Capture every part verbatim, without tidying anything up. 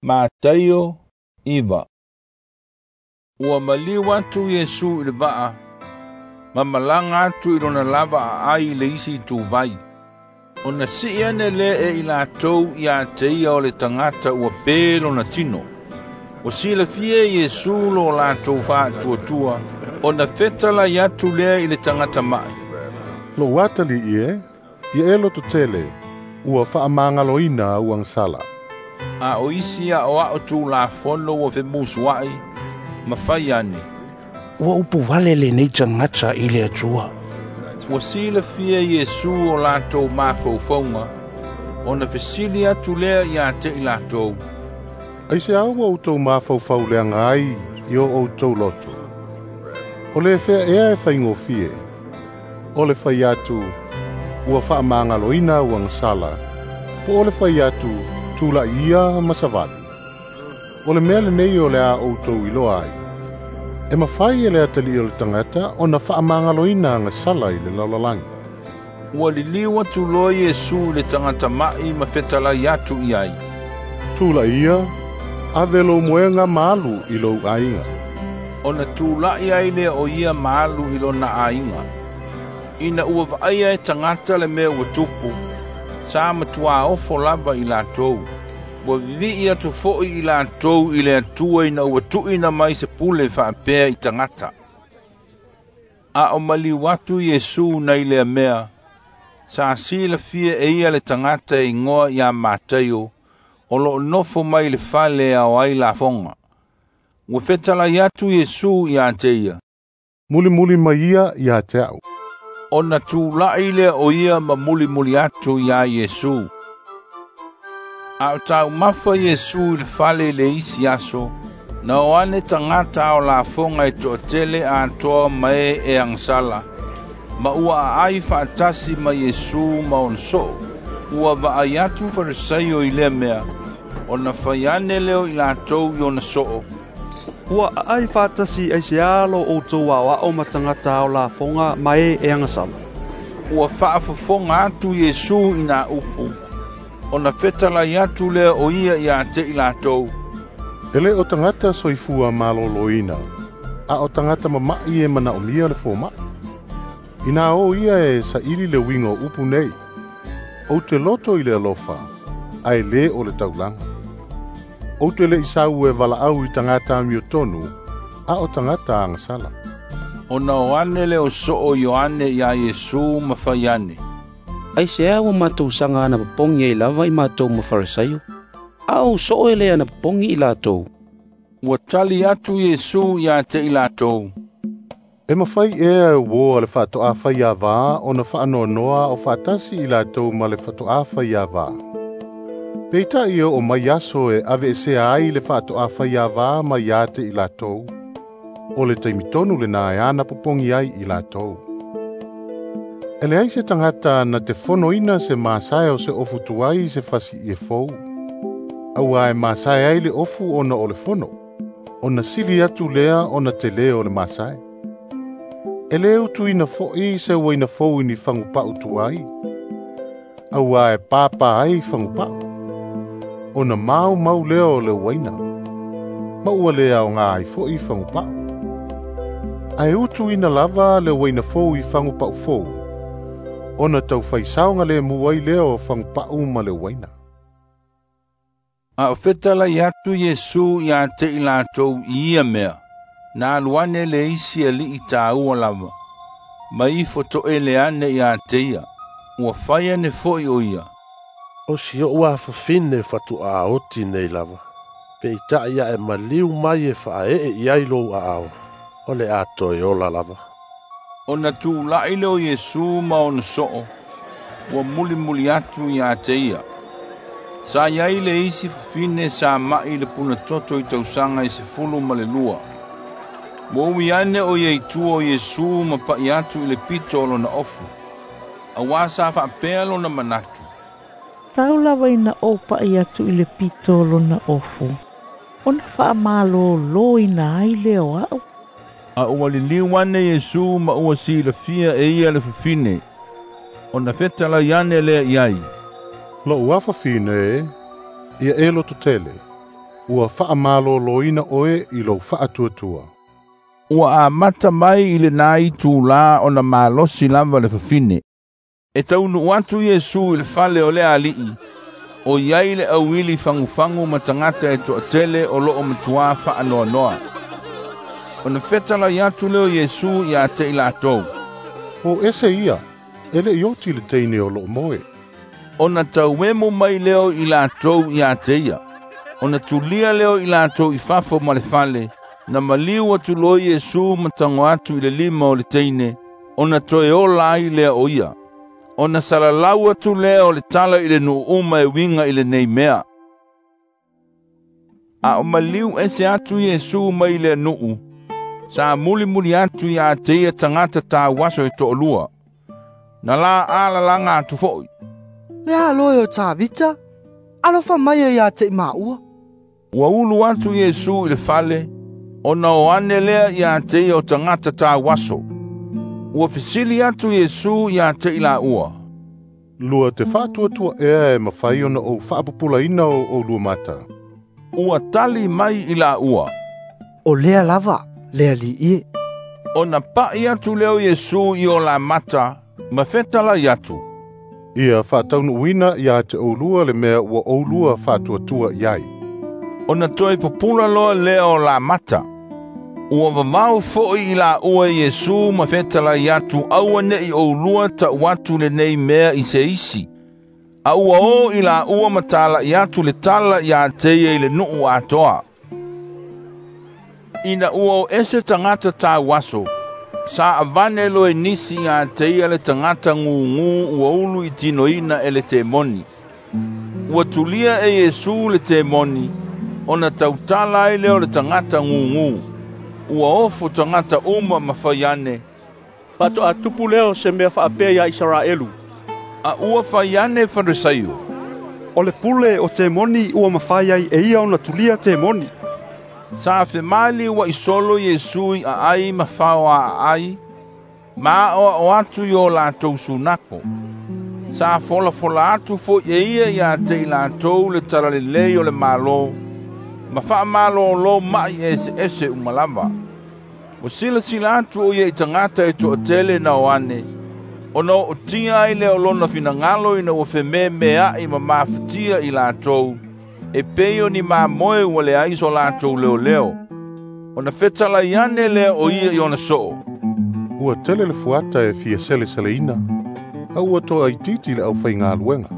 Mataio iva. Ua maliu atu Iesu i le vaa, ma malaga atu i lona lava aai i le isi ituvai. Ona sii ane lea e i latou ia te ia o le tagata ua pe lona tino. Ua silafia e Iesu lo latou faatuatua, ona fetalai atu lea i le tagata ma'i. Lou atalii e, ia e lototele, ua faamagaloina au agasala. A o isi aoao tulafono ua femusuai, ma fai ane. Ua upu vale lenei tagata i le Atua. Ua silafia Iesu o latou mafaufauga, ona fesili atu lea ia te i latou. Aiseā ua outou mafaufau leaga ai i o outou loto? O le fea ea e faigofie, o le fai atu, ua faamagaloina au agasala, po o le fai atu, tula'i ia ma savali. O le mea lenei o le a outou iloa ai, e mafai e le atalii o le tagata ona faamagaloina agasala i le lalolagi. Ua liliu atu loa Iesu i le tagata ma'i ma fetalai atu i ai. Tula'i ia, ave lou moega ma alu i lou aiga. Ona tula'i ai lea o ia ma alu i lona aiga. Ina ua vaaia e tagata le mea ua tupu, sa matuā ofo lava i latou. Ua vivii atu fo'i i latou i le Atua ina ua tuuina mai se pule faapea i tagata. A o maliu atu Iesu nai lea mea, sa silafia e ia le tagata e igoa ia Mataio, o loo nofo mai le fale e ao ai lafoga. Ua fetalai atu Iesu ia te ia. Mulimuli mai ia ia te a'u. Ona tula'i lea o ia ma mulimuli atu iā Iesu. A o taumafa Iesu i le fale i le isi aso, na o ane tagata ao lafoga e toatele atoa ma e e agasala, ma ua aai faatasi ma Iesu ma ona soo. Ua vaai atu Farisaio i lea mea, ona fai ane lea o i latou i ona soo. Ua aai faatasi aiseā lo outou aoao ma tagata ao lafoga ma e e agasala. Ua faafofoga atu Iesu i nā upu, ona fetalai atu lea o ia ia te i latou. E le o tagata soifua maloloina, a o tagata mama'i e manaomia le foma'i. Inā o ia e saili le uiga o upu nei, ou te loto i le alofa, ae lē o le taulaga. Ou te le'i sau e valaau i tagata amiotonu, a o tagata agasala. Ona o ane le o soo Ioane iā Iesu ma fai ane. Aiseā ua matou saga anapopogi ai lava i matou ma Farisaio, a o soo e le anapopogi i latou. Ua tali atu Iesu ia te i latou. E mafai ea e uō a le faatoʻafaiavā ona faanoanoa o faatasi i latou ma le faatoʻafaiavā. Peita'i e oo mai aso e aveesea ai le faatoʻafaiavā mai ia te i latou, o le taimi tonu lenā e anapopogi ai i latou. E leai se tagata na te fonoina se masae o se ofu tuai i se fasiie fou, auā e masae ai le ofu ona o le fono, ona sili atu lea ona telē o le masae. E lē utuina fo'i se uaina fou i ni fagupa'u tuai, auā e pāpā ai fagupa'u, ona maumau lea o le uaina, ma ua lē aogā ai fo'i fagupa'u. Ae utuina lava le uaina fou i fagupa'u fou, ona taufaisao lemu ai lea o fagupa'u ma le uaina. A o fetalai atu Iesu ia te i latou i ia mea, na alu ane le isi alii tāua lava, ma ifo toele ane ia te ia, ua fai ane fo'i o ia. O si o'u afafine fatuā oti nei lava, peita'i ae maliu mai e faaee i ai lou aao, o le a toe ola lava. Ona tula'i lea o Iesu ma ona soo, ua mulimuli atu ia te ia. Sa iai le isi fafine sa ma'i le punatoto i tausaga e sefulu ma le lua. Ua ui ane o ia i tua o Iesu ma pa'i atu i le pito o lona ofu, auā sa faapea lona manatu. Tau lava ina ou pa'i atu i le pito o lona ofu, ona faamalōlōina ai lea o a'u. A ua liliu ane Iesu ma ua silafia e ia le fafine, ona fetalai ane lea i ai. Lou afafine e, ia e lototele, Ua faamalōlōina oe i lou faatuatua. Ua amata mai i lenā itulā ona malosi lava le fafine. E taunuu atu Iesu i le fale o le ali'i, o iai le auili fagufagu ma tagata e to'atele o lo'o matuā fa'anoanoa. Ona fetalai atu lea o Iesu iā te i latou. O ese ia, e le'i oti le teine o lo'o moe. Ona tauemu mai lea o i latou iā te ia. Ona tulia lea o i latou i fafo ma le fale, na maliu atu loa Iesu ma tago atu i le lima o le teine, ona toe ola ai lea o ia. Ona salalau atu lea o le tala i le nuu uma e uiga i lenei mea. A o maliu ese atu Iesu mai le nuu, sa mulimuli atu iā te ia tagata tauaso e to'alua. Na la alalaga atu fo'i. Le alo e o Tavita, alofa mai e iā te i maua. Ua ulu atu Iesu i le fale, ona o ane lea iā te ia o tagata tauaso. Ua fesili atu Iesu iā te i laua. Lua te faatuatua ea e mafai ona ou faapupulaina o oulua mata. Ua tali mai i laua. O lea lava, le ali'i e. Ona pa'i atu lea o Iesu i o la mata, ma fetalai atu. Ia faataunuuina iā te oulua le mea ua oulua faatuatua i ai. Ona toe pupula loa lea o la mata. Ua vavao fo'i i laua Iesu ma fetalai atu aua ne'i oulua ta'u atu lenei mea i se isi. A ua o i laua ma tala'i atu le tala iā te ia i le nuu atoa. Ina ua o ese tagata tauaso, sa avane loa e nisi iā te ia le tagata gugū ua ulu i tinoina e le temoni. Ua tulia e Iesu le temoni, ona tautala ai lea o le tagata gugū. Ua ofo tagata uma ma fai ane. Faato'a tupu lea o se mea fa'apea iā Isaraelu. A ua fai ane Farisaio. O le pule o temoni ua mafai ai e ia ona tulia temoni. Sa femaliua'i solo Iesu i aai ma faoaa'ai, ma aʻoaʻo atu i o latou sunako. Sa folafola atu fo'i e ia iā te i latou le talalelei o le Mālō, ma fa'amalōlō ma'i eseese uma lava. Ua silasila atu o ia i tagata e to'atele na o ane, ona o'otia ai lea o lona finagalo ina ua fememea'i ma mafatia i latou, e pei o ni mamoe ua leai so latou leoleo. Ona fetalai ane lea o ia i ona so'o. Ua tele le fuata e fia seleseleina, a ua to'aitiiti le aufaigaluega.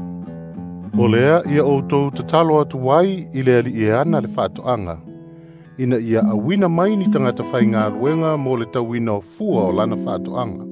O lea ia outou tatalo atu ai i le ali'i e ana le fa'ato'aga, ina ia auina mai ni tagata faigaluega mo le tauina o fua o lana fa'ato'aga.